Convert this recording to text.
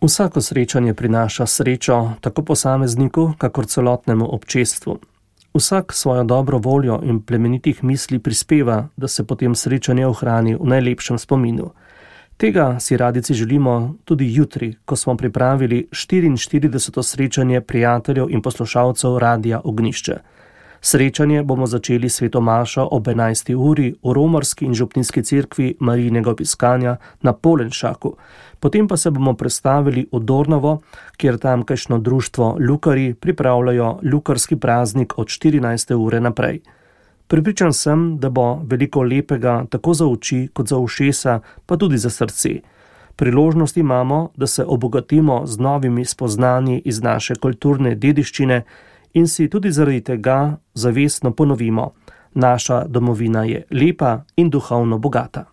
Vsako srečanje prinaša srečo tako posamezniku, kakor celotnemu občestvu. Vsak svojo dobro voljo in plemenitih misli prispeva, da se potem srečanje ohrani v najlepšem spominu. Tega si radici želimo tudi jutri, ko smo pripravili 44. srečanje prijateljev in poslušalcev Radia Ognjišče. Srečanje bomo začeli s sveto mašo ob 11. uri v romarski in župninski cerkvi Marijinega opiskanja na Polenšaku. Potem pa se bomo prestavili v Dornavo, kjer tamkajšnjo društvo Lukari pripravljajo lukarski praznik od 14. ure naprej. Prepričan sem, da bo veliko lepega tako za oči kot za ušesa, pa tudi za srce. Priložnost imamo, da se obogatimo z novimi spoznanji iz naše kulturne dediščine in si tudi zaradi tega zavestno ponovimo: naša domovina je lepa in duhovno bogata.